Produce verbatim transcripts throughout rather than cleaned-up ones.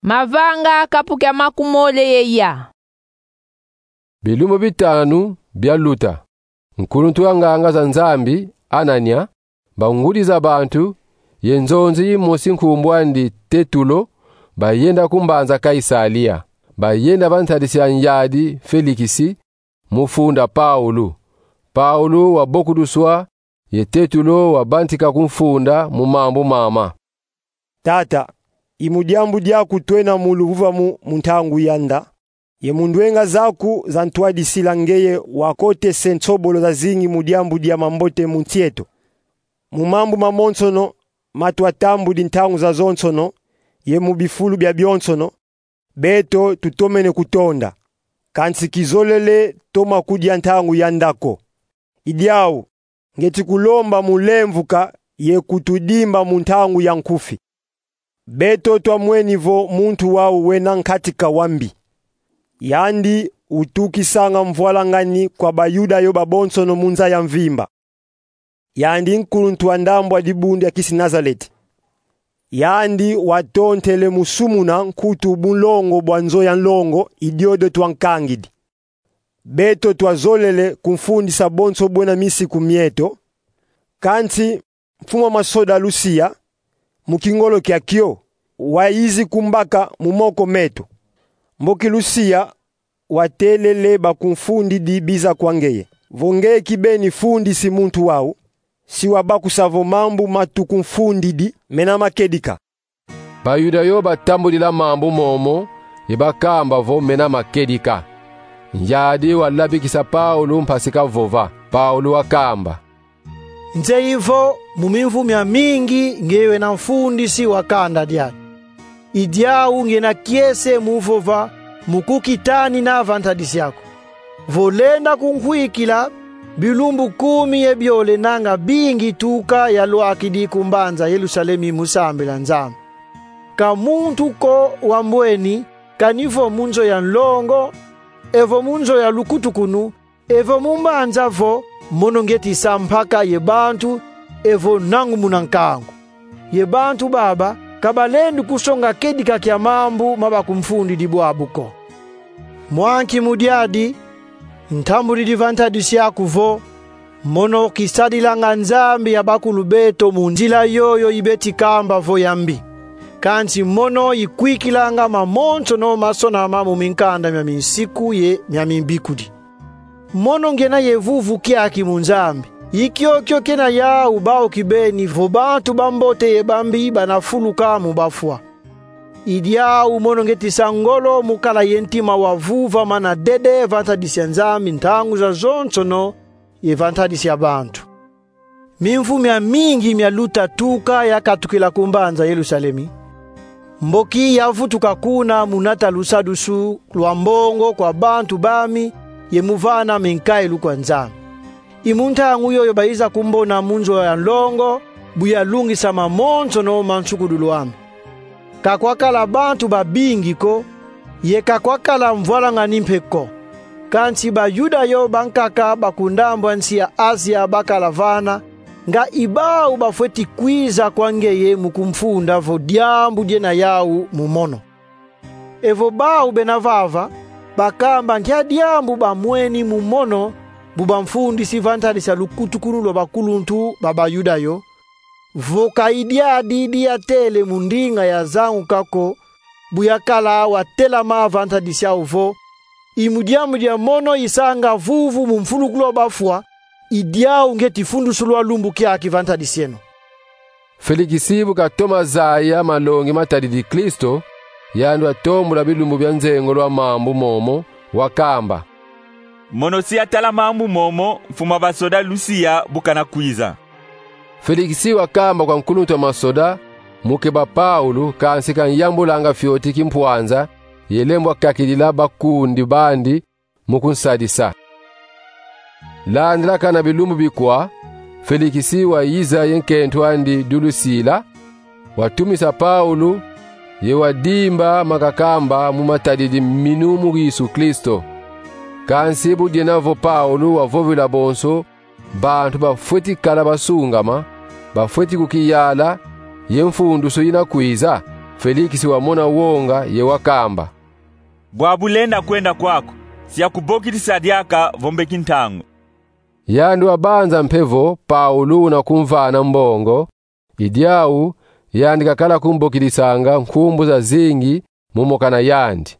Mavanga kapu kia makumole ye ya. Bilumbu bitanu bialuta, nkuluntu wa nganga za Nzambi, Anania, bangudi za bantu, ye nzonzi yimosi nkumbu andi Tetulo, bayenda ku mbanza Kaisalia. Bayenda va ntadisi ya nyadi Felikisi, mu funda Paulu. Paulu wabokuduswa, ye Tetulo wabantika ku mfunda mu mambu mama. Tata, i mu diambu diaku twena mu luvuvamu mu ntangu yanda, ye mu ndwenga zaku za ntwadisila ngeye wakotese nsobolo zazingi mu diambu dia mambote mu nsi eto. Mu mambu mamonsono matwatambudi ntangu zazonsono, ye mu bifulu biabionsono, beto tutomene kutonda. Kansi kizolele toma kudia ntangu yanda ko. I diau, ngeti kulomba mu lemvuka ye kutudimba mu ntangu ya nkufi. Beto twamweni vo muntu wau wena nkatika wa mbi. Yandi utukisanga mvwalangani kwa Bayuda yo babonsono mu nza ya mvimba. Yandi nkuluntu wa ndambu a dibundu ya kisi Nazaleti. Yandi watontele mu sumuna nkutu bunlongo bwa nzo ya nlongo i diodio twankangidi. Beto twazolele kumfundisa bonso bwena misiku mieto, kansi mfumu a masoda Lusia, mu kingolo kiakio, wayizi kumbaka mu moko meto. Mboki Lusia watelele bakumfundidi biza kwa ngeye. Vo ngeye kibeni fundisi muntu wau, si wabakusa vo mambu matukumfundidi mena makedika. Bayuda yo batambudila mambu momo, ye bakamba vo mena makedika. Nyadi walabikisa Paulu mpasi kavova. Paulu wakamba: Nzeyi vo mu mimvu miamingi ngeye wena mfundisi wa kanda diani. I diau ngena kiese mu vova mu kukitanina va ntadisi aku. Vo lenda kunkwikila, bilumbu kumi ye biole nanga bingi tuka yalwakidi ku mbanza Yerusalemi mu sambila Nzambi. Ka muntu ko wambweni, kani vo mu nzo ya nlongo, evo mu nzo ya lukutukunu, evo mu mbanza vo, mono ngeti sa mpaka ye bantu, evo nangu muna nkangu. Ye bantu baba, ka balendi kusonga kedika kia mambu ma bakumfundidi bwabu ko. Mwa nki mu diadi, ntambudidi va ntadisi aku vo, mono kisadilanga Nzambi ya bakulu beto mu nzila yoyo i beti kamba vo ya mbi. Kansi mono ikwikilanga mamonsono masonama mu minkanda mia minsiku ye mia mimbikudi. Mono ngena ye vuvu kiaki mu Nzambi. I kiokio kena yau bau kibeni vo bantu bambote ye bambi bana fuluka mu bafwa. I diau mono ngeti sa ngolo mu kala ye ntima wa vuvama na dede va ntadisi ya Nzambi ntangu zazonsono ye va ntadisi ya bantu. Mimvu miamingi mialuta tuka yakatukila ku mbanza Yerusalemi. Mboki yavutuka kuna mu nata lusadusu lwa mbongo kwa bantu bami ye mu vana minkailu kwa Nzambi. I mu ntangu yoyo bayiza kumbona mu nzo ya nlongo, bu yalungisa mamonsono ma nsukudulu ami. Ka kwakala bantu babingi ko, ye ka kwakala mvwalangani mpe ko. Kansi Bayuda yo bankaka ba ku ndambu a nsi ya Azia bakala vana, nga i bau bafweti kwiza kwa ngeye mu kumfunda vo diambu diena yau mu mono. Evo bau bena vava, bakamba nkia diambu bamweni mu mono, bu bamfundisi va ntadisi ya lukutukunu lwa bakuluntu ba Bayuda yo, vo ka i diadi diatele mu ndinga yazanguka ko, bu yakala watelama va ntadisi yau vo: I mu diambu dia mono isanga vuvu mu mfulukulu wa bafwa, i diau ngeti fundusulwa lumbu kiaki va ntadisi eno. Felikisi bu katoma zaya malongi matadidi Kristo, yandi watombula bilumbu bia nzengolo a mambu momo, wakamba: Mono si yatala mambu momo, mfumu a basoda Lusia bu kana kwiza. Felikisi wakamba kwa nkuluntu wa masoda mu keba Paulu, kansi kanyambulanga fioti kimpwanza, ye lembwa kakidila bakundi bandi mu kunsadisa. Landilakana bilumbu bikwa, Felikisi wayiza ye nkento andi Dulusila, watumisa Paulu, ye wadimba ma kakamba mu matadidi minu mu Yesu Kristo. Kansi bu diena vo Paulu wavovila bonso bantu bafweti kala basungama, bafweti kukiyala ye mfundusu yina kwiza, Felikisi wamona wonga ye wakamba: Bwabu lenda kwenda kwaku, si yakubokidisa diaka vo mbeki ntangu. Yandi wabanza mpe vo Paulu una kumvana mbongo, i diau yandi kakala kumbokidisanga nkumbu zazingi mu mokana yandi.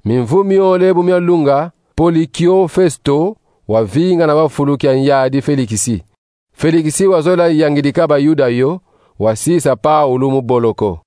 Mimvu miole bu mialunga, Polikio Festo wavingana va fulu kia nyadi Felikisi. Felikisi wazola yangidika Bayuda yo, wasisa Paulu mu boloko.